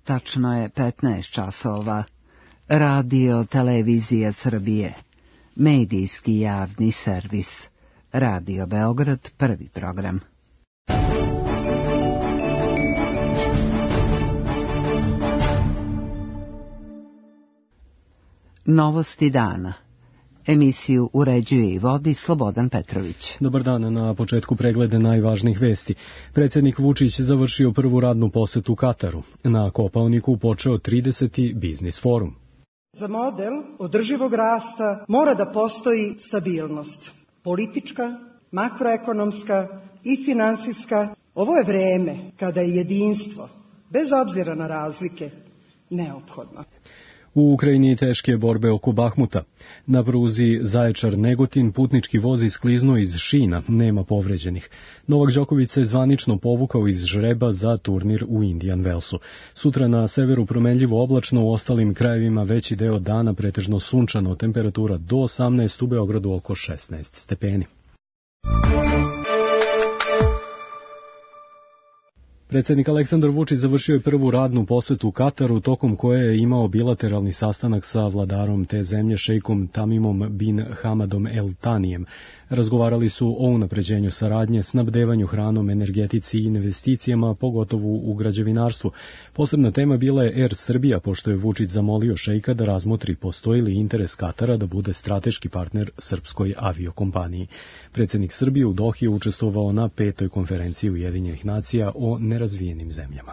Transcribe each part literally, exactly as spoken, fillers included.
Tačno je petnaest časova. Radio Televizija Srbije. Medijski javni servis. Radio Beograd, prvi program. Novosti dana. Emisiju uređuje i vodi Slobodan Petrović. Dobar dan, na početku preglede najvažnijih vesti. Predsjednik Vučić završio prvu radnu posetu Kataru. Na Kopaoniku počeo trideseti biznis forum. Za model održivog rasta mora da postoji stabilnost. Politička, makroekonomska i finansijska. Ovo je vreme kada je jedinstvo, bez obzira na razlike, neophodno. U Ukrajini teške borbe oko Bahmuta. Na pruzi Zaječar-Negotin putnički voz iskliznuo iz šina, nema povređenih. Novak Đoković se zvanično povukao iz žreba za turnir u Indian Wellsu. Sutra na severu promenljivo oblačno, u ostalim krajevima veći deo dana pretežno sunčano, temperatura do osamnaest, u Beogradu oko šesnaest stepeni. Predsjednik Aleksandar Vučić završio je prvu radnu posetu u Kataru, tokom koje je imao bilateralni sastanak sa vladarom te zemlje, šejkom Tamimom bin Hamadom El Tanijem. Razgovarali su o unapređenju saradnje, snabdevanju hranom, energetici i investicijama, pogotovo u građevinarstvu. Posebna tema bila je Er Srbija, pošto je Vučić zamolio šejka da razmotri postoji li interes Katara da bude strateški partner srpskoj aviokompaniji. Predsjednik Srbije u Dohi je učestvovao na petoj konferenciji Ujedinjenih nacija o nerazvijenim zemljama.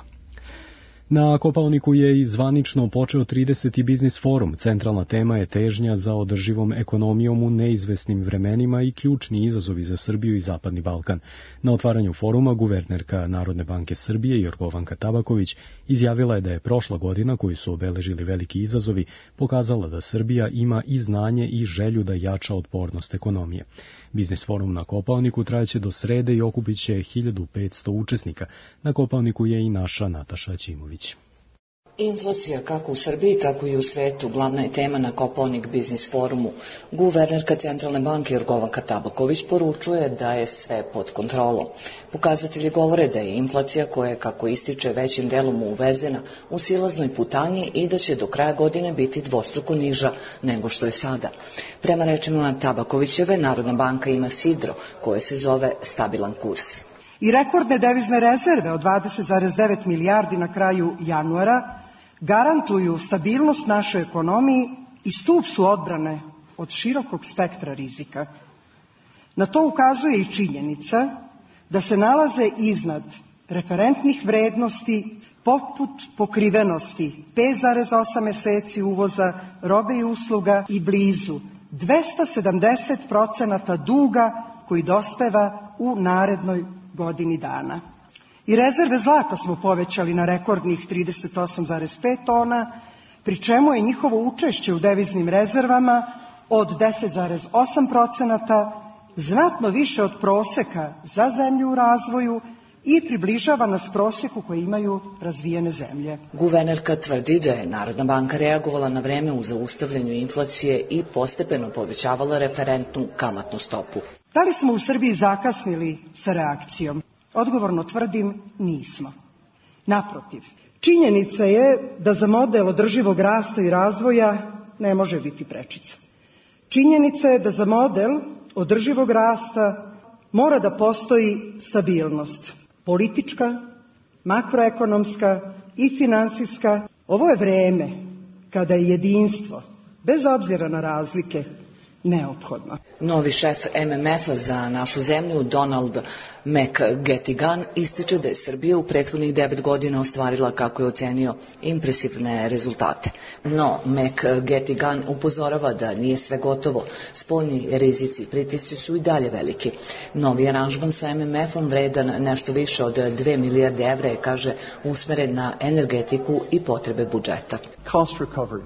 Na Kopaoniku je i zvanično počeo trideseti biznis forum. Centralna tema je težnja za održivom ekonomijom u neizvesnim vremenima i ključni izazovi za Srbiju i Zapadni Balkan. Na otvaranju foruma guvernerka Narodne banke Srbije Jorgovanka Tabaković izjavila je da je prošla godina, koju su obeležili veliki izazovi, pokazala da Srbija ima i znanje i želju da jača otpornost ekonomije. Biznis forum na Kopaoniku trajaće do srede i okupit će hiljadu petsto učesnika. Na Kopaoniku je i naša Nataša Ćimović. Inflacija kako u Srbiji, tako i u svetu glavna je tema na Kopaonik biznis forumu. Guvernerka Centralne banke Jorgovanka Tabaković poručuje da je sve pod kontrolom. Pokazatelji govore da je inflacija, koja je, kako ističe, većim delom uvezena, u silaznoj putanji i da će do kraja godine biti dvostruko niža nego što je sada. Prema rečima Tabakovićeve, Narodna banka ima sidro koje se zove stabilan kurs. I rekordne devizne rezerve od dvadeset zarez devet milijardi na kraju januara garantuju stabilnost našoj ekonomiji i stup su odbrane od širokog spektra rizika. Na to ukazuje i činjenica da se nalaze iznad referentnih vrednosti poput pokrivenosti pet zarez osam meseci uvoza robe i usluga i blizu dvesta sedamdeset procenata duga koji dospeva u narednoj godini dana. I rezerve zlata smo povećali na rekordnih trideset osam zarez pet tona, pri čemu je njihovo učešće u deviznim rezervama od deset zarez osam procenata znatno više od proseka za zemlju u razvoju i približava nas prosjeku koji imaju razvijene zemlje. Guvernerka tvrdi da je Narodna banka reagovala na vreme u zaustavljanju inflacije i postepeno povećavala referentnu kamatnu stopu. Da li smo u Srbiji zakasnili sa reakcijom? Odgovorno tvrdim, nismo. Naprotiv, činjenica je da za model održivog rasta i razvoja ne može biti prečica. Činjenica je da za model održivog rasta mora da postoji stabilnost. Politička, makroekonomska i finansijska. Ovo je vreme kada je jedinstvo, bez obzira na razlike, neophodno. Novi šef M M F-a za našu zemlju, Donald McGettigan, ističe da je Srbija u prethodnih devet godina ostvarila, kako je ocenio, impresivne rezultate. No, McGettigan upozorava da nije sve gotovo. Spoljni rizici i pritisci su i dalje veliki. Novi aranžman sa M M F-om vredan nešto više od dve milijarde evra je, kaže, usmeren na energetiku i potrebe budžeta. Cost recovery.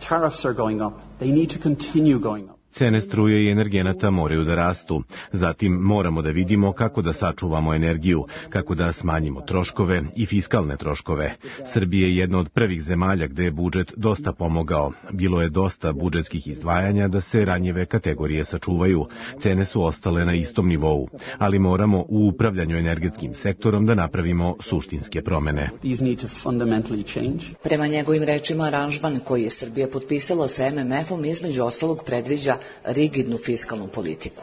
Tariffs are going up. They need to continue going up. Cene struje i energenata moraju da rastu. Zatim moramo da vidimo kako da sačuvamo energiju, kako da smanjimo troškove i fiskalne troškove. Srbija je jedna od prvih zemalja gde je budžet dosta pomogao. Bilo je dosta budžetskih izdvajanja da se ranjive kategorije sačuvaju. Cene su ostale na istom nivou, ali moramo u upravljanju energetskim sektorom da napravimo suštinske promene. Prema njegovim rečima, aranžman koji je Srbija potpisala sa em em efom između ostalog predviđa rigidnu fiskalnu politiku.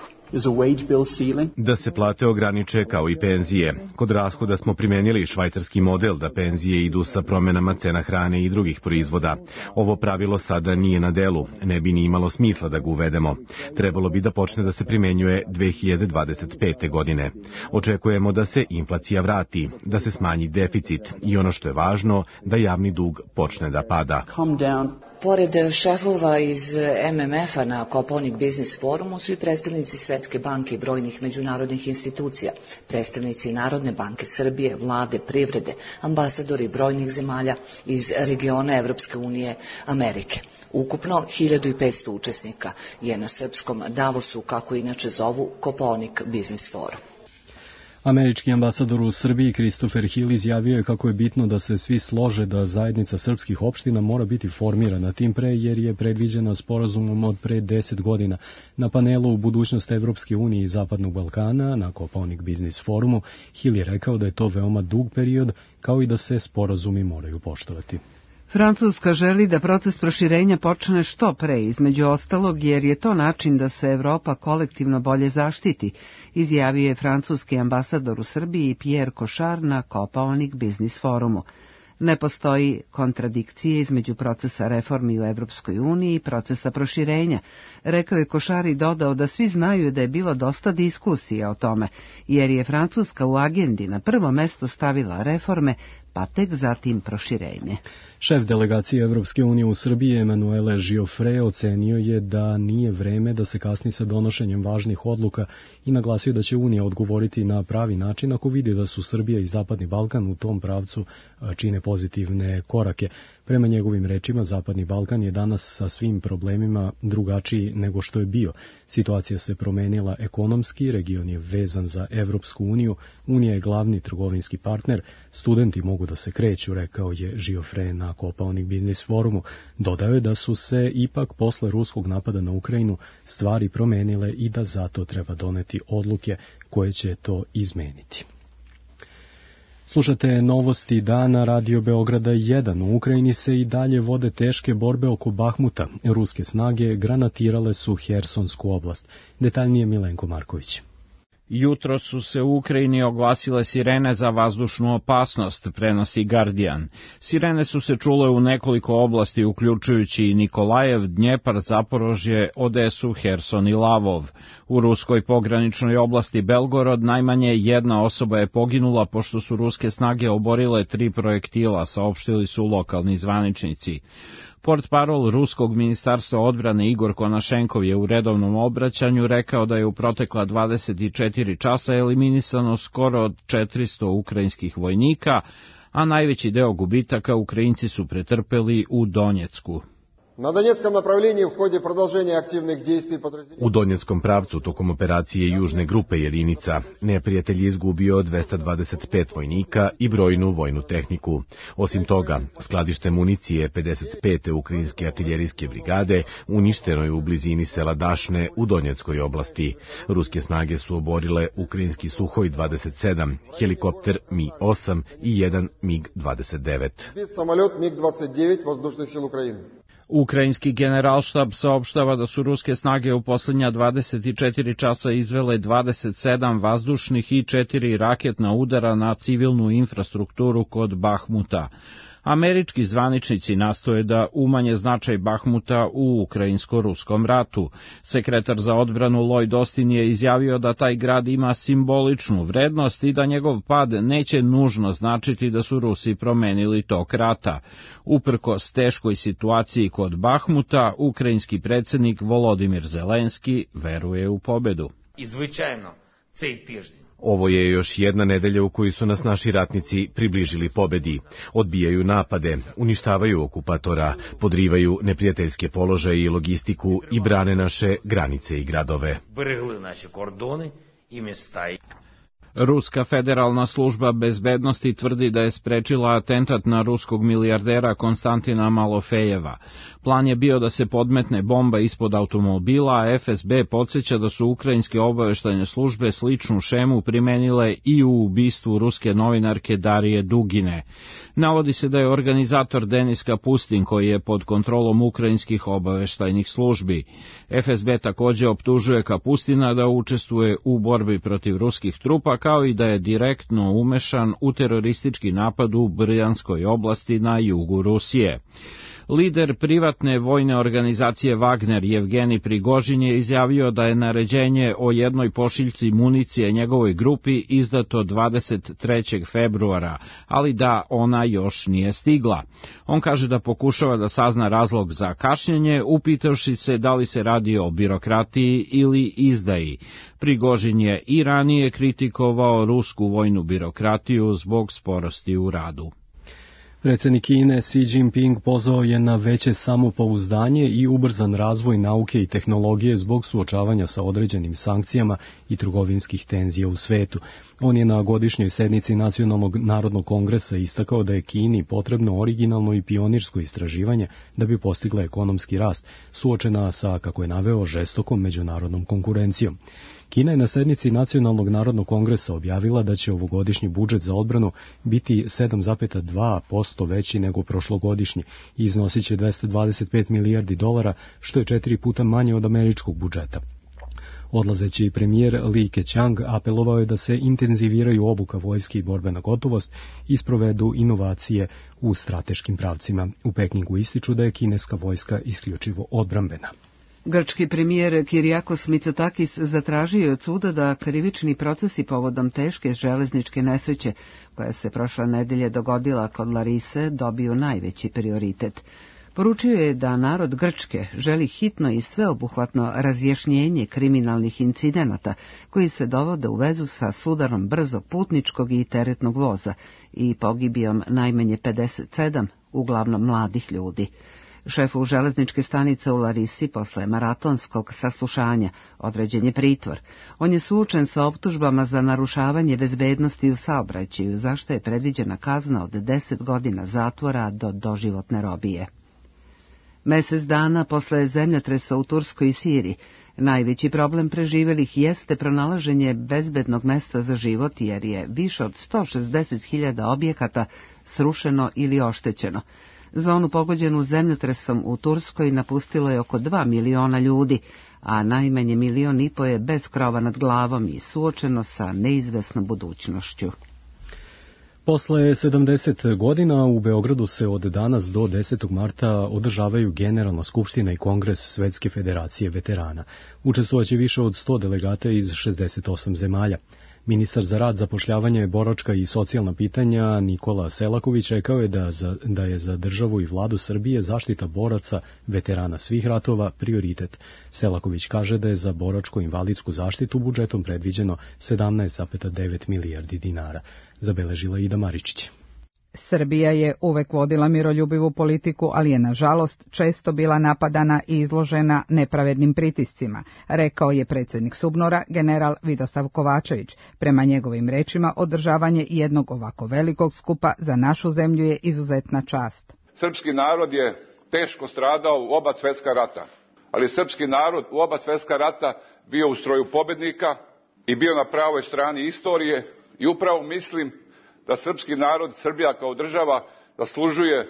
Da se plate ograniče kao i penzije. Kod rashoda smo primenili švajcarski model da penzije idu sa promenama cena hrane i drugih proizvoda. Ovo pravilo sada nije na delu, ne bi ni imalo smisla da ga uvedemo. Trebalo bi da počne da se primenjuje dve hiljade dvadeset pete. godine. Očekujemo da se inflacija vrati, da se smanji deficit i ono što je važno, da javni dug počne da pada. Pored šefova iz em em efa na Kopaonik Biznis forumu su i predstavnici Svetske banke i brojnih međunarodnih institucija, predstavnici Narodne banke Srbije, vlade, privrede, ambasadori brojnih zemalja iz regiona Evropske unije, Amerike. Ukupno hiljadu petsto učesnika je na srpskom Davosu, kako inače zovu, Kopaonik Biznis forum. Američki ambasador u Srbiji Christopher Hill izjavio je kako je bitno da se svi slože da zajednica srpskih opština mora biti formirana, tim pre jer je predviđena sporazumom od pre deset godina. Na panelu u budućnost Evropske unije i Zapadnog Balkana na Kopaonik Biznis forumu Hill je rekao da je to veoma dug period, kao i da se sporazumi moraju poštovati. Francuska želi da proces proširenja počne što pre, između ostalog, jer je to način da se Evropa kolektivno bolje zaštiti, izjavio je francuski ambasador u Srbiji Pierre Cochard na Kopaonik Biznis forumu. Ne postoji kontradikcije između procesa reformi u Evropskoj uniji i procesa proširenja, rekao je Cochard i dodao da svi znaju da je bilo dosta diskusija o tome, jer je Francuska u agendi na prvo mesto stavila reforme, pa tek zatim proširenje. Šef delegacije Evropske unije u Srbiji Emanuele Giofre ocenio je da nije vreme da se kasni sa donošenjem važnih odluka i naglasio da će Unija odgovoriti na pravi način ako vidi da su Srbija i Zapadni Balkan u tom pravcu čine pozitivne korake. Prema njegovim rečima, Zapadni Balkan je danas sa svim problemima drugačiji nego što je bio. Situacija se promenila ekonomski, region je vezan za Evropsku uniju, Unija je glavni trgovinski partner, studenti mogu da se kreću, rekao je Giofre na Kopaonik Biznis forumu. Dodao je da su se ipak posle ruskog napada na Ukrajinu stvari promenile i da zato treba doneti odluke koje će to izmeniti. Slušate novosti dana Radio Beograda jedan. U Ukrajini se i dalje vode teške borbe oko Bahmuta. Ruske snage granatirale su Hersonsku oblast. Detaljnije Milenko Marković. Jutro su se u Ukrajini oglasile sirene za vazdušnu opasnost, prenosi Guardian. Sirene su se čule u nekoliko oblasti, uključujući i Nikolajev, Dnjepar, Zaporožje, Odesu, Herson i Lavov. U ruskoj pograničnoj oblasti Belgorod najmanje jedna osoba je poginula pošto su ruske snage oborile tri projektila, saopštili su lokalni zvaničnici. Portparol Ruskog ministarstva odbrane Igor Konašenkov je u redovnom obraćanju rekao da je u protekla dvadeset četiri časa eliminisano skoro od četiristo ukrajinskih vojnika, a najveći deo gubitaka Ukrajinci su pretrpeli u Donjecku. Na Donjeckom направлении в ходе продолжения активных действий подразделений. U Donjeckom pravcu tokom operacije južne grupe jedinica neprijatelj je izgubio dvesta dvadeset pet vojnika i brojnu vojnu tehniku. Osim toga, skladište municije pedeset pete ukrajinske artiljerijske brigade uništeno je u blizini sela Dašne u Donjeckoj oblasti. Ruske snage su oborile ukrajinski Suhoj dvadeset sedam, helikopter Mi osam i jedan Mig dvadeset devet. Самолет Миг двадцать девять воздушных сил Украины. Ukrajinski generalštab saopštava da su ruske snage u posljednja dvadeset četiri časa izvele dvadeset sedam vazdušnih i četiri raketna udara na civilnu infrastrukturu kod Bahmuta. Američki zvaničnici nastoje da umanje značaj Bahmuta u ukrajinsko-ruskom ratu. Sekretar za odbranu Lloyd Austin je izjavio da taj grad ima simboličnu vrednost i da njegov pad neće nužno značiti da su Rusi promenili tok rata. Uprkos teškoj situaciji kod Bahmuta, ukrajinski predsjednik Volodimir Zelenski veruje u pobedu. I звичайно, Ovo je još jedna nedelja u kojoj su nas naši ratnici približili pobedi. Odbijaju napade, uništavaju okupatora, podrivaju neprijateljske položaje i logistiku i brane naše granice i gradove. Ruska federalna služba bezbednosti tvrdi da je sprečila atentat na ruskog milijardera Konstantina Malofejeva. Plan je bio da se podmetne bomba ispod automobila, a F S B podsjeća da su ukrajinske obaveštajne službe sličnu šemu primenile i u ubistvu ruske novinarke Darije Dugine. Navodi se da je organizator Denis Kapustin, koji je pod kontrolom ukrajinskih obaveštajnih službi. F S B takođe optužuje Kapustina da učestvuje u borbi protiv ruskih trupa, kao i da je direktno umešan u teroristički napad u Brjanskoj oblasti na jugu Rusije. Lider privatne vojne organizacije Wagner, Jevgeni Prigožin, je izjavio da je naređenje o jednoj pošiljci municije njegovoj grupi izdato dvadeset trećeg februara, ali da ona još nije stigla. On kaže da pokušava da sazna razlog za kašnjenje, upitavši se da li se radi o birokratiji ili izdaji. Prigožin je i ranije kritikovao rusku vojnu birokratiju zbog sporosti u radu. Predsjednik Kine Xi Jinping pozvao je na veće samopouzdanje i ubrzan razvoj nauke i tehnologije zbog suočavanja sa određenim sankcijama i trgovinskih tenzija u svetu. On je na godišnjoj sednici Nacionalnog narodnog kongresa istakao da je Kini potrebno originalno i pionirsko istraživanje da bi postigla ekonomski rast, suočena sa, kako je naveo, žestokom međunarodnom konkurencijom. Kina je na sednici Nacionalnog narodnog kongresa objavila da će ovogodišnji budžet za odbranu biti sedam zarez dva posto veći nego prošlogodišnji i iznosit će dvesta dvadeset pet milijardi dolara, što je četiri puta manje od američkog budžeta. Odlazeći premijer Li Keqiang apelovao je da se intenziviraju obuka vojske i borbena gotovost i sprovedu inovacije u strateškim pravcima. U Pekingu ističu da je kineska vojska isključivo odbrambena. Grčki premijer Kyriakos Mitsotakis zatražio je od suda da krivični procesi povodom teške železničke nesreće, koja se prošle nedelje dogodila kod Larise, dobiju najveći prioritet. Poručio je da narod Grčke želi hitno i sveobuhvatno razjašnjenje kriminalnih incidenata koji se dovode u vezu sa sudarom brzog putničkog i teretnog voza i pogibijom najmanje pedeset sedam, uglavnom mladih ljudi. Šefu železničke stanice u Larisi posle maratonskog saslušanja određen je pritvor. On je suočen sa optužbama za narušavanje bezbednosti u saobraćaju, za što je predviđena kazna od deset godina zatvora do doživotne robije. Mesec dana posle zemljotresa u Turskoj i Siriji, najveći problem preživelih jeste pronalaženje bezbednog mesta za život, jer je više od sto šezdeset hiljada objekata srušeno ili oštećeno. Zonu pogođenu zemljotresom u Turskoj napustilo je oko dva miliona ljudi, a najmanje milion i po je bez krova nad glavom i suočeno sa neizvesnom budućnošću. Posle sedamdeset godina u Beogradu se od danas do desetog marta održavaju Generalna skupština i Kongres Svetske federacije veterana. Učestvovaće više od sto delegata iz šezdeset osam zemalja. Ministar za rad, zapošljavanje, boračka i socijalna pitanja Nikola Selaković rekao je da, za, da je za državu i vladu Srbije zaštita boraca, veterana svih ratova, prioritet. Selaković kaže da je za boračko-invalidsku zaštitu budžetom predviđeno sedamnaest zarez devet milijardi dinara. Zabeležila Ida Maričić. Srbija je uvek vodila miroljubivu politiku, ali je nažalost često bila napadana i izložena nepravednim pritiscima, rekao je predsjednik Subnora general Vidosav Kovačević. Prema njegovim rečima, održavanje jednog ovako velikog skupa za našu zemlju je izuzetna čast. Srpski narod je teško stradao u oba svjetska rata, ali srpski narod u oba svjetska rata bio u stroju pobednika i bio na pravoj strani istorije i upravo mislim da srpski narod, Srbija kao država, zaslužuje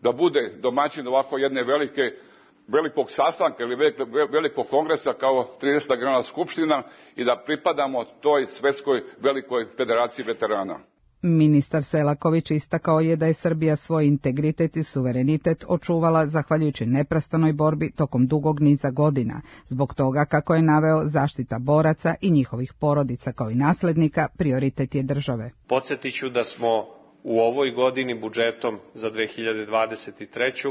da bude domaćin ovako jedne velike, velikog sastanka ili velikog kongresa kao trideseta Generalna skupština i da pripadamo toj svetskoj velikoj federaciji veterana. Ministar Selaković istakao je da je Srbija svoj integritet i suverenitet očuvala zahvaljujući neprestanoj borbi tokom dugog niza godina. Zbog toga, kako je naveo, zaštita boraca i njihovih porodica kao i naslednika prioritet je države. Podsjetit ću da smo u ovoj godini budžetom za dve hiljade dvadeset treću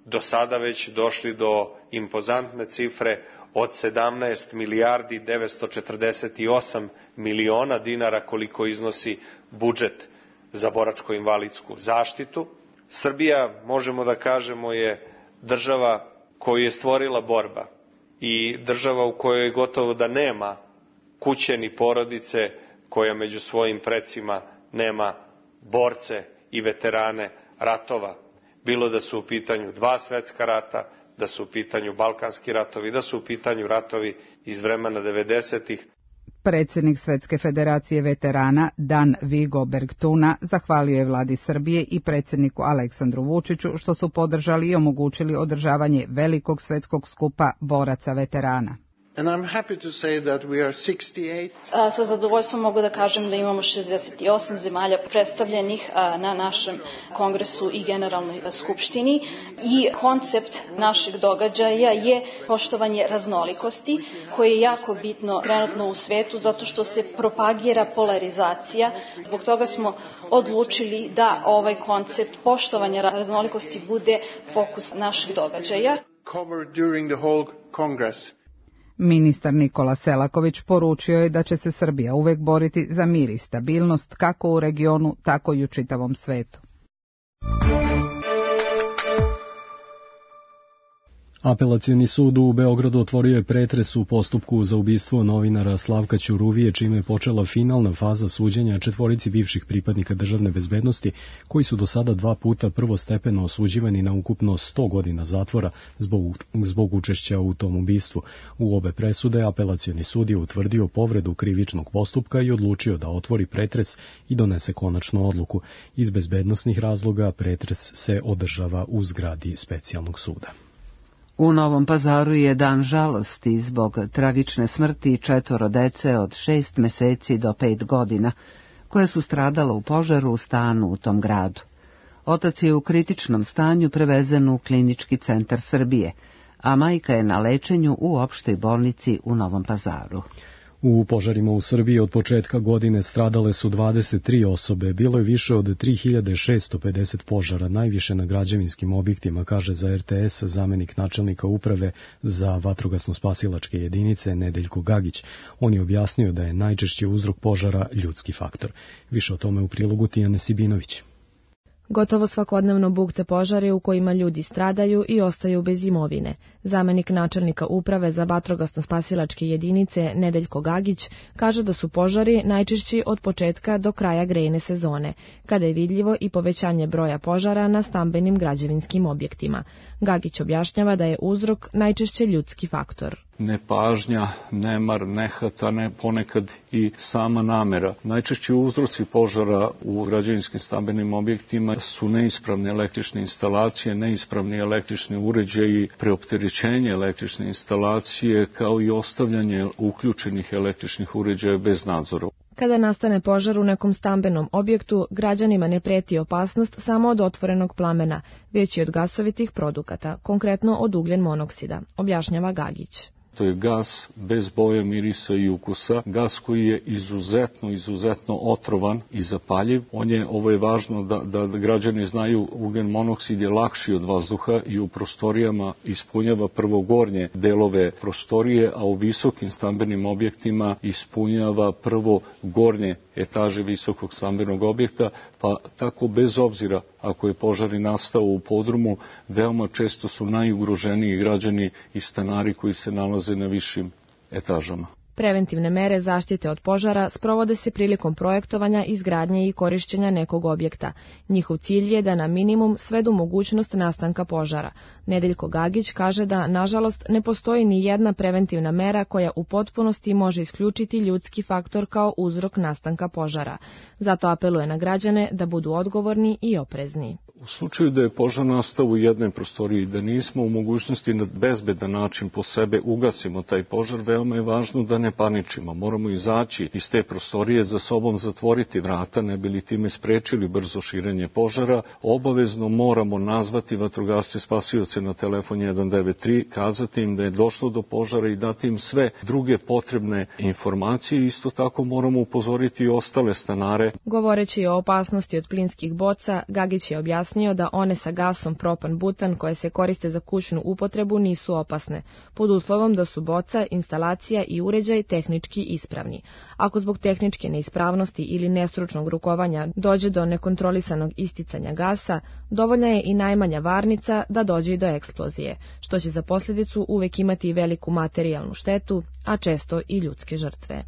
do sada već došli do impozantne cifre od sedamnaest milijardi devetsto četrdeset osam miliona dinara koliko iznosi budžet za boračko-invalidsku zaštitu. Srbija, možemo da kažemo, je država koju je stvorila borba i država u kojoj gotovo da nema kuće ni porodice koja među svojim precima nema borce i veterane ratova. Bilo da su u pitanju dva svetska rata, da su u pitanju balkanski ratovi, da su u pitanju ratovi iz vremena devedesetih. Predsjednik Svetske federacije veterana Dan Vigo Bergtuna zahvalio je vladi Srbije i predsjedniku Aleksandru Vučiću što su podržali i omogućili održavanje velikog svetskog skupa boraca veterana. And I'm happy to say that we are sixty-eight. A, sa zadovoljstvom mogu da kažem da imamo šezdeset osam zemalja predstavljenih a, na našem kongresu i generalnoj skupštini i koncept našeg događaja je poštovanje raznolikosti koje je jako bitno trenutno u svetu zato što se propagira polarizacija. Zbog toga smo odlučili da ovaj koncept poštovanja raznolikosti bude fokus našeg događaja. Covered during the whole Congress. Ministar Nikola Selaković poručio je da će se Srbija uvek boriti za mir i stabilnost kako u regionu, tako i u čitavom svetu. Apelacioni sud u Beogradu otvorio je pretres u postupku za ubistvo novinara Slavka Ćuruvije, čime je počela finalna faza suđenja četvorici bivših pripadnika državne bezbednosti, koji su do sada dva puta prvostepeno osuđivani na ukupno sto godina zatvora zbog, zbog učešća u tom ubistvu. U obe presude apelacioni sud je utvrdio povredu krivičnog postupka i odlučio da otvori pretres i donese konačnu odluku. Iz bezbednosnih razloga pretres se održava u zgradi specijalnog suda. U Novom Pazaru je dan žalosti zbog tragične smrti četvoro dece od šest meseci do pet godina, koja su stradala u požaru u stanu u tom gradu. Otac je u kritičnom stanju prevezen u Klinički centar Srbije, a majka je na lečenju u opštoj bolnici u Novom Pazaru. U požarima u Srbiji od početka godine stradale su dvadeset tri osobe, bilo je više od tri hiljade šesto pedeset požara, najviše na građevinskim objektima, kaže za er te es zamenik načelnika uprave za vatrogasno-spasilačke jedinice Nedeljko Gagić. On je objasnio da je najčešći uzrok požara ljudski faktor. Više o tome u prilogu Tijane Sibinović. Gotovo svakodnevno bukte požari u kojima ljudi stradaju i ostaju bez imovine. Zamenik načelnika uprave za vatrogasno-spasilačke jedinice Nedeljko Gagić kaže da su požari najčešći od početka do kraja grejne sezone, kada je vidljivo i povećanje broja požara na stambenim građevinskim objektima. Gagić objašnjava da je uzrok najčešće ljudski faktor. Nepažnja, nemar, nehata, ne, ponekad i sama namera. Najčešći uzroci požara u građevinskim stambenim objektima su neispravne električne instalacije, neispravni električni uređaji, preopterećenje električne instalacije, kao i ostavljanje uključenih električnih uređaja bez nadzora. Kada nastane požar u nekom stambenom objektu, građanima ne preti opasnost samo od otvorenog plamena, već i od gasovitih produkata, konkretno od ugljen monoksida, objašnjava Gagić. To je gas bez boje, mirisa i ukusa, gas koji je izuzetno, izuzetno otrovan i zapaljiv. On je, ovo je važno da, da građani znaju, ugljen monoksid je lakši od vazduha i u prostorijama ispunjava prvo gornje delove prostorije, a u visokim stambenim objektima ispunjava prvo gornje etaže visokog stambenog objekta, pa tako bez obzira ako je požar nastao u podrumu, veoma često su najugroženiji građani i stanari koji se nalaze na višim etažama. Preventivne mere zaštite od požara sprovode se prilikom projektovanja, izgradnje i korišćenja nekog objekta. Njihov cilj je da na minimum svedu mogućnost nastanka požara. Nedeljko Gagić kaže da, nažalost, ne postoji ni jedna preventivna mera koja u potpunosti može isključiti ljudski faktor kao uzrok nastanka požara. Zato apeluje na građane da budu odgovorni i oprezni. U slučaju da je požar nastao u jednoj prostoriji, da nismo u mogućnosti na bezbedan način po sebe ugasimo taj požar, veoma je važno da ne paničimo. Moramo izaći iz te prostorije, za sobom zatvoriti vrata, ne bi li time sprečili brzo širenje požara. Obavezno moramo nazvati vatrogasce spasioce na telefon jedan devet tri, kazati im da je došlo do požara i dati im sve druge potrebne informacije. Isto tako moramo upozoriti i ostale stanare. Govoreći o opasnosti od plinskih boca, Gagić je objasnio objasnio da one sa gasom propan-butan koje se koriste za kućnu upotrebu nisu opasne, pod uslovom da su boca, instalacija i uređaj tehnički ispravni. Ako zbog tehničke neispravnosti ili nestručnog rukovanja dođe do nekontrolisanog isticanja gasa, dovoljna je i najmanja varnica da dođe i do eksplozije, što će za posljedicu uvek imati veliku materijalnu štetu, a često i ljudske žrtve.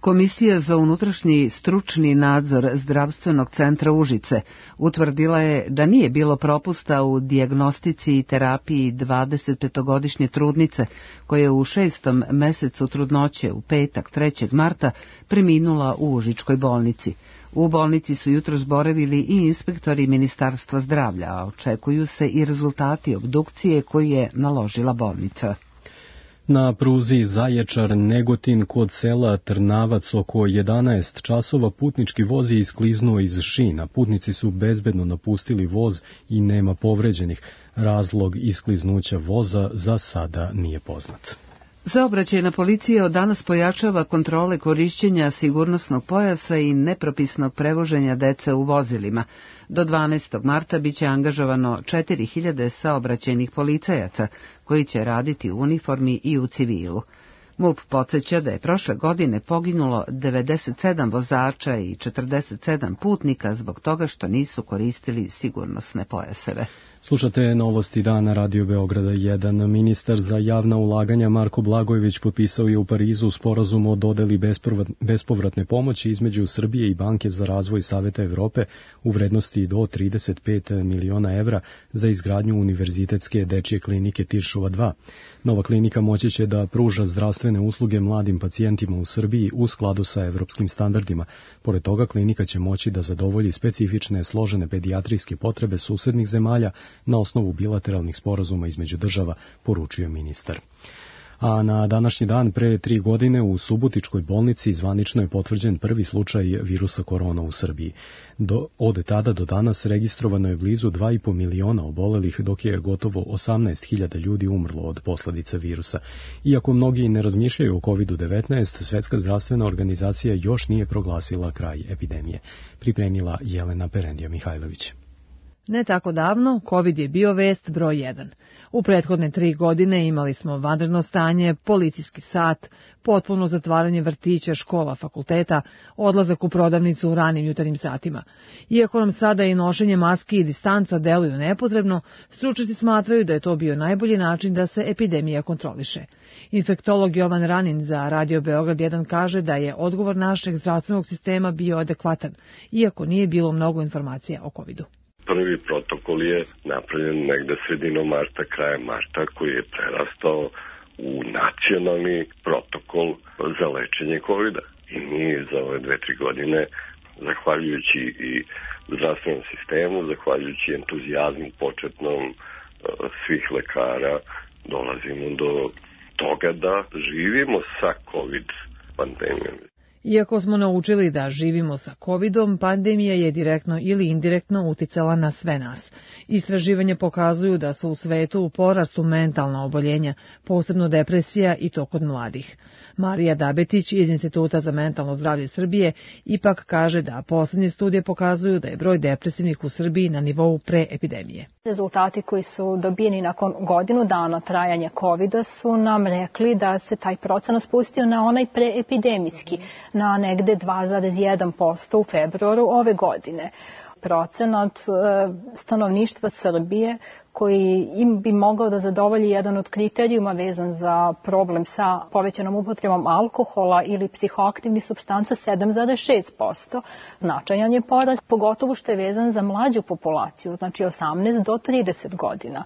Komisija za unutrašnji stručni nadzor Zdravstvenog centra Užice utvrdila je da nije bilo propusta u dijagnostici i terapiji dvadesetpetogodišnje trudnice koja je u šestom mesecu trudnoće u petak trećeg marta preminula u Užičkoj bolnici. U bolnici su jutros boravili i inspektori Ministarstva zdravlja, a očekuju se i rezultati obdukcije koju je naložila bolnica. Na pruzi Zaječar-Negotin kod sela Trnavac oko jedanaest časova putnički voz je iskliznuo iz šina. Putnici su bezbedno napustili voz i nema povređenih. Razlog iskliznuća voza za sada nije poznat. Saobraćajna policija od danas pojačava kontrole korišćenja sigurnosnog pojasa i nepropisnog prevoženja dece u vozilima. Do dvanaestog marta biće angažovano četiri hiljade saobraćajnih policajaca koji će raditi u uniformi i u civilu. MUP podsjeća da je prošle godine poginulo devedeset sedam vozača i četrdeset sedam putnika zbog toga što nisu koristili sigurnosne pojaseve. Slušate novosti dana Radio Beograda jedan. Ministar za javna ulaganja Marko Blagojević potpisao je u Parizu sporazum o dodeli bespovratne pomoći između Srbije i Banke za razvoj Saveta Evrope u vrednosti do trideset pet miliona evra za izgradnju univerzitetske dečje klinike Tiršova dva. Nova klinika moći će da pruža zdravstvene usluge mladim pacijentima u Srbiji u skladu sa evropskim standardima. Pored toga, klinika će moći da zadovolji specifične složene pedijatrijske potrebe susednih zemalja na osnovu bilateralnih sporazuma između država, poručio ministar. A na današnji dan pre tri godine u Subotičkoj bolnici zvanično je potvrđen prvi slučaj virusa korona u Srbiji. Do, od tada do danas registrovano je blizu dva i po miliona obolelih, dok je gotovo osamnaest hiljada ljudi umrlo od posledica virusa. Iako mnogi ne razmišljaju o kovid devetnaest, Svetska zdravstvena organizacija još nije proglasila kraj epidemije. Pripremila Jelena Perendija Mihajlović. Ne tako davno, COVID je bio vest broj jedan. U prethodne tri godine imali smo vanredno stanje, policijski sat, potpuno zatvaranje vrtića, škola, fakulteta, odlazak u prodavnicu u ranim jutarnjim satima. Iako nam sada i nošenje maski i distanca deluju nepotrebno, stručnjaci smatraju da je to bio najbolji način da se epidemija kontroliše. Infektolog Jovan Ranin za Radio Beograd jedan kaže da je odgovor našeg zdravstvenog sistema bio adekvatan, iako nije bilo mnogo informacija o covidu. Prvi protokol je napravljen negde sredinom marta, krajem marta, koji je prerastao u nacionalni protokol za lečenje kovida. I mi za ove dve, tri godine, zahvaljujući i zdravstvenom sistemu, zahvaljujući entuzijazmu početnom svih lekara, dolazimo do toga da živimo sa COVID pandemijom. Iako smo naučili da živimo sa covidom, pandemija je direktno ili indirektno uticala na sve nas. Istraživanja pokazuju da su u svetu u porastu mentalna oboljenja, posebno depresija i to kod mladih. Marija Dabetić iz Instituta za mentalno zdravlje Srbije ipak kaže da poslednje studije pokazuju da je broj depresivnih u Srbiji na nivou pre epidemije. Rezultati koji su dobijeni nakon godinu dana trajanja covida su nam rekli da se taj procenat spustio na onaj preepidemijski, na negde dva zarez jedan posto u februaru ove godine. Procenat stanovništva Srbije koji im bi mogao da zadovolji jedan od kriterijuma vezan za problem sa povećanom upotrebom alkohola ili psihoaktivnih supstanca sedam zarez šest posto. Značajan je porast, pogotovo što je vezan za mlađu populaciju, znači osamnaest do trideset godina.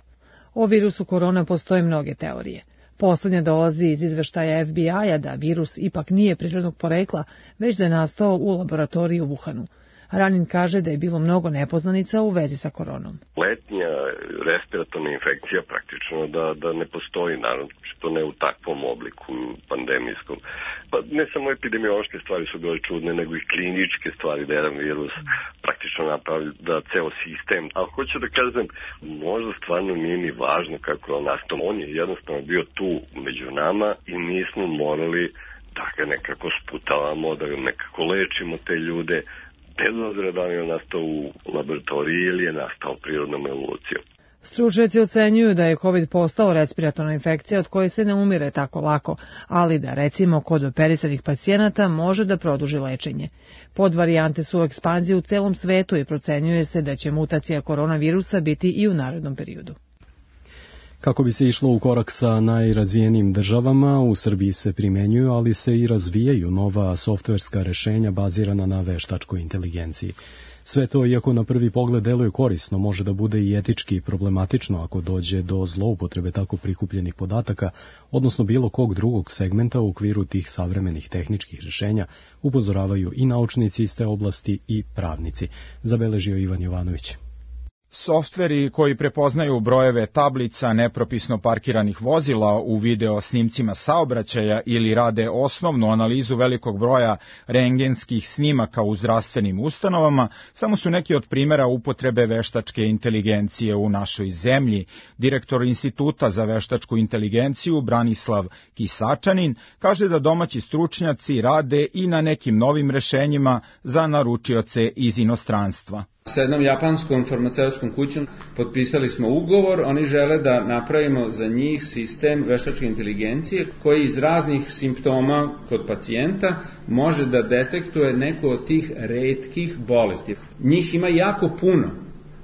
O virusu korona postoje mnoge teorije. Poslednja dolazi iz izveštaja F B I-a da virus ipak nije prirodnog porekla, već da je nastao u laboratoriji u Wuhanu. Ranin kaže da je bilo mnogo nepoznanica u vezi sa koronom. Letnja respiratorna infekcija praktično da, da ne postoji, naravno, što ne u takvom obliku pandemijskom. Pa ne samo epidemiološke stvari su bile čudne, nego i kliničke stvari da jedan virus praktično napravi da ceo sistem. Ali hoću da kažem, možda stvarno nije ni važno kako je on nastao. On je jednostavno bio tu među nama i nismo morali da ga nekako sputavamo, da ga nekako lečimo te ljude. bez obzira da li je nastao u laboratoriji ili je nastao prirodnom evolucijom. Stručnjaci ocenjuju da je COVID postao respiratorna infekcija od koje se ne umire tako lako, ali da recimo kod operisanih pacijenata može da produži lečenje. Podvarijante su u ekspanziji u celom svetu i procenjuje se da će mutacija koronavirusa biti i u narednom periodu. Kako bi se išlo u korak sa najrazvijenijim državama, u Srbiji se primenjuju, ali se i razvijaju nova softverska rešenja bazirana na veštačkoj inteligenciji. Sve to, iako na prvi pogled deluje korisno, može da bude i etički problematično ako dođe do zloupotrebe tako prikupljenih podataka, odnosno bilo kog drugog segmenta u okviru tih savremenih tehničkih rešenja, upozoravaju i naučnici iz te oblasti i pravnici, zabeležio Ivan Jovanović. Softveri koji prepoznaju brojeve tablica nepropisno parkiranih vozila u video snimcima saobraćaja ili rade osnovnu analizu velikog broja rentgenskih snimaka u zdravstvenim ustanovama samo su neki od primjera upotrebe veštačke inteligencije u našoj zemlji. Direktor Instituta za veštačku inteligenciju Branislav Kisačanin kaže da domaći stručnjaci rade i na nekim novim rešenjima za naručioce iz inostranstva. Sa jednom japanskom farmaceutskom kućom potpisali smo ugovor, oni žele da napravimo za njih sistem veštačke inteligencije koji iz raznih simptoma kod pacijenta može da detektuje neku od tih retkih bolesti. Njih ima jako puno,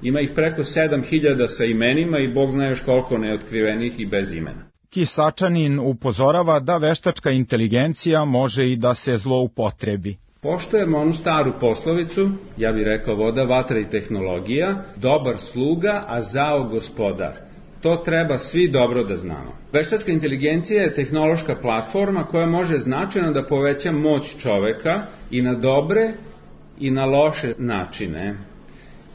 ima ih preko sedam hiljada sa imenima i Bog zna još koliko neotkrivenih i bez imena. Kisačanin upozorava da veštačka inteligencija može i da se zloupotrebi. Poštujemo onu staru poslovicu, ja bih rekao voda, vatra i tehnologija, dobar sluga, a zao gospodar. To treba svi dobro da znamo. Veštačka inteligencija je tehnološka platforma koja može značajno da poveća moć čoveka i na dobre i na loše načine.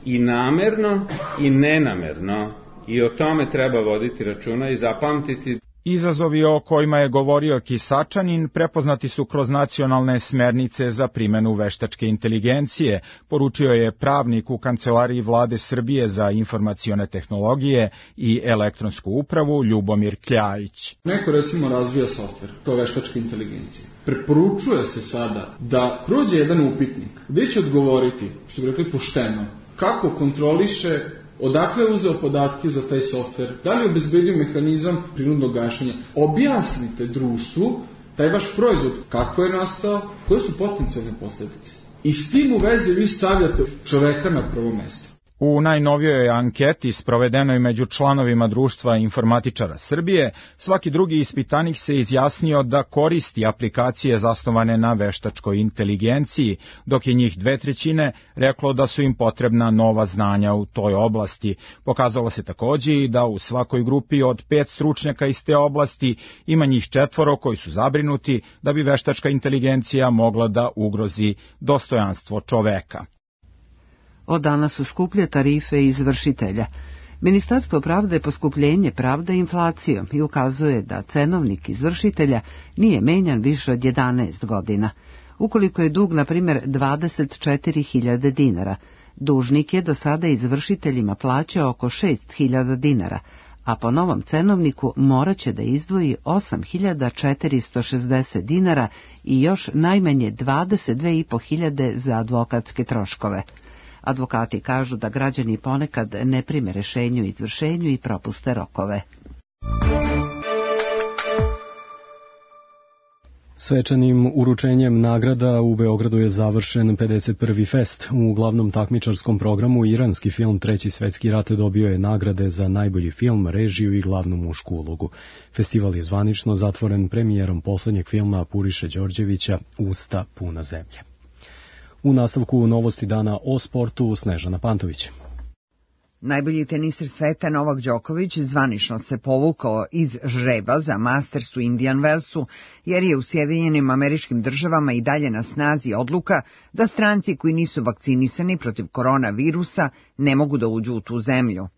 I namerno i nenamerno. I o tome treba voditi računa i zapamtiti. Izazovi o kojima je govorio Kisačanin prepoznati su kroz nacionalne smernice za primjenu veštačke inteligencije, poručio je pravnik u Kancelariji Vlade Srbije za informacione tehnologije i elektronsku upravu Ljubomir Kljajić. Neko recimo razvija softver, to je veštačka inteligencija. Preporučuje se sada da prođe jedan upitnik gdje će odgovoriti, što bi rekli pošteno, kako kontroliše, odakle je uzeo podatke za taj softver, da li je obezbedio mehanizam prinudnog gašenja. Objasnite društvu taj vaš proizvod, kako je nastao, koje su potencijalne posljedice. I s tim u vezi vi stavljate čoveka na prvo mesto. U najnovijoj anketi sprovedenoj među članovima Društva informatičara Srbije, svaki drugi ispitanik se izjasnio da koristi aplikacije zasnovane na veštačkoj inteligenciji, dok je njih dve trećine reklo da su im potrebna nova znanja u toj oblasti. Pokazalo se takođe i da u svakoj grupi od pet stručnjaka iz te oblasti ima njih četvoro koji su zabrinuti da bi veštačka inteligencija mogla da ugrozi dostojanstvo čoveka. Od danas su skuplje tarife izvršitelja. Ministarstvo pravde poskupljenje pravda inflacijom i ukazuje da cenovnik izvršitelja nije menjan više od jedanaest godina. Ukoliko je dug, na primjer, dvadeset četiri hiljade dinara, dužnik je do sada izvršiteljima plaćao oko šest hiljada dinara, a po novom cenovniku morat će da izdvoji osam hiljada četiristo šezdeset dinara i još najmanje dvadeset dve i po hiljade za advokatske troškove. Advokati kažu da građani ponekad ne prime rešenju o izvršenju i propuste rokove. Svečanim uručenjem nagrada u Beogradu je završen pedeset prvi fest. U glavnom takmičarskom programu iranski film Treći svetski rat dobio je nagrade za najbolji film, režiju i glavnu mušku ulogu. Festival je zvanično zatvoren premijerom poslednjeg filma Puriše Đorđevića Usta puna zemlje. U nastavku novosti dana o sportu Snežana Pantović. Najbolji teniser sveta Novak Đoković zvanično se povukao iz žreba za Masters u Indian Wellsu, jer je u Sjedinjenim Američkim Državama i dalje na snazi odluka da stranci koji nisu vakcinisani protiv koronavirusa ne mogu da uđu u tu zemlju.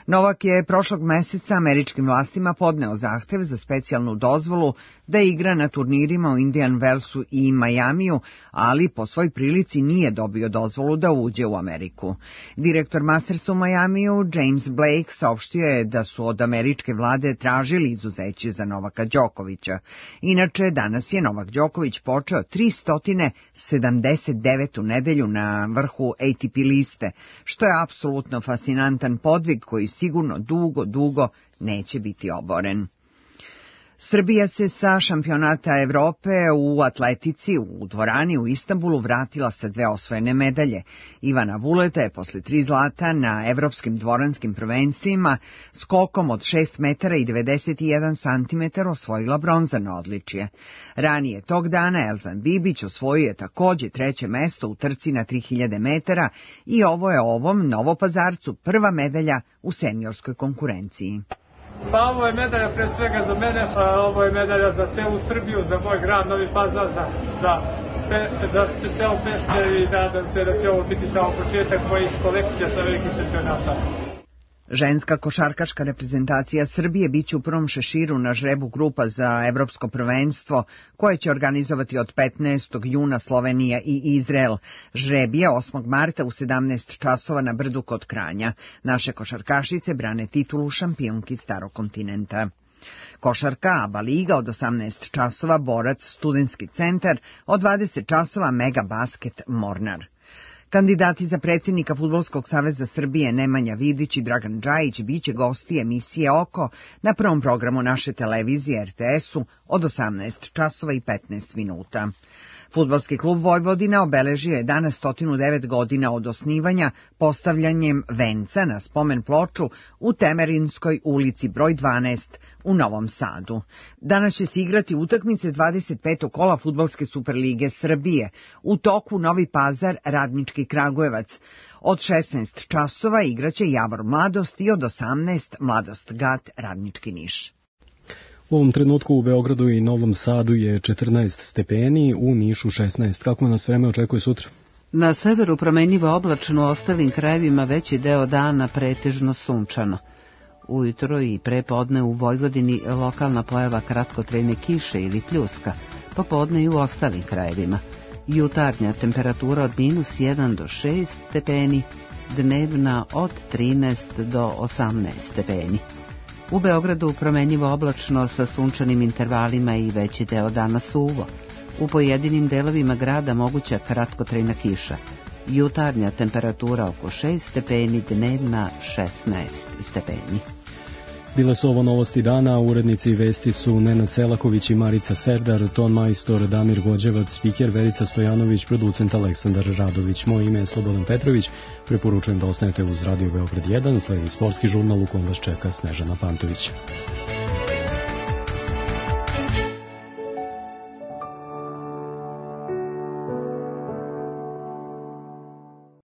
Novak je prošlog meseca američkim vlastima podneo zahtev za specijalnu dozvolu da igra na turnirima u Indian Wellsu i Majamiju, ali po svoj prilici nije dobio dozvolu da uđe u Ameriku. Direktor Mastersa u Majamiju, James Blake, saopštio je da su od američke vlade tražili izuzeće za Novaka Đokovića. Inače, danas je Novak Đoković počeo tristo sedamdeset devetu nedelju na vrhu A T P liste, što je apsolutno fascinantan podvig koji sigurno dugo, dugo neće biti oboren. Srbija se sa šampionata Evrope u atletici u dvorani u Istanbulu vratila sa dve osvojene medalje. Ivana Vuleta je posle tri zlata na evropskim dvoranskim prvenstvima skokom od šest metara i devedeset jedan santimetara osvojila bronzano odličje. Ranije tog dana Elzan Bibić osvojio je takođe treće mesto u trci na tri hiljade metara i ovo je ovom Novopazarcu prva medalja u seniorskoj konkurenciji. Pa ovo je medalja pre svega za mene, a ovo je medalja za celu Srbiju, za moj grad Novi Pazar, za, za, za celo Pešter i nadam se da će ovo biti samo početak mojih kolekcija sa velikih šampionata. Ženska košarkaška reprezentacija Srbije biće u prvom šeširu na žrebu grupa za evropsko prvenstvo koje će organizovati od petnaestog juna Slovenija i Izrael. Žreb je osmog marta u sedamnaest časova na Brdu kod Kranja. Naše košarkašice brane titulu šampionki Starog kontinenta. Košarka ABA liga od osamnaest časova Borac Studentski centar, od dvadeset časova Mega Basket Mornar. Kandidati za predsjednika Fudbalskog saveza Srbije Nemanja Vidić i Dragan Džajić biće gosti emisije Oko na prvom programu naše televizije R T S-u od osamnaest časova i petnaest minuta. Fudbalski klub Vojvodina obeležio je danas sto devet godina od osnivanja postavljanjem venca na spomen ploču u Temerinskoj ulici broj dvanaest u Novom Sadu. Danas će se igrati utakmice dvadeset petog kola Fudbalske superlige Srbije. U toku Novi Pazar Radnički Kragujevac. Od šesnaest časova igraće Javor Mladost i od osamnaest Mladost Gat Radnički Niš. U ovom trenutku u Beogradu i Novom Sadu je četrnaest stepeni, u Nišu šesnaest. Kako nas vreme očekuje sutra? Na severu promenljivo oblačno, u ostalim krajevima veći deo dana pretežno sunčano. Ujutro i prepodne u Vojvodini lokalna pojava kratkotrajne kiše ili pljuska, popodne i u ostalim krajevima. Jutarnja temperatura od minus jedan do šest stepeni, dnevna od trinaest do osamnaest stepeni. U Beogradu promenljivo oblačno sa sunčanim intervalima i veći deo dana suvo. U pojedinim delovima grada moguća kratkotrajna kiša. Jutarnja temperatura oko šest stepeni, dnevna šesnaest stepeni. Bile su ovo novosti dana, urednici vesti su Nenad Selaković i Marica Serdar, ton majstor Damir Gođevac, spiker Verica Stojanović, producent Aleksandar Radović. Moje ime je Slobodan Petrović, preporučujem da ostanete uz Radio Beograd jedan, sledi sportski žurnal u kom vas čeka Snežana Pantović.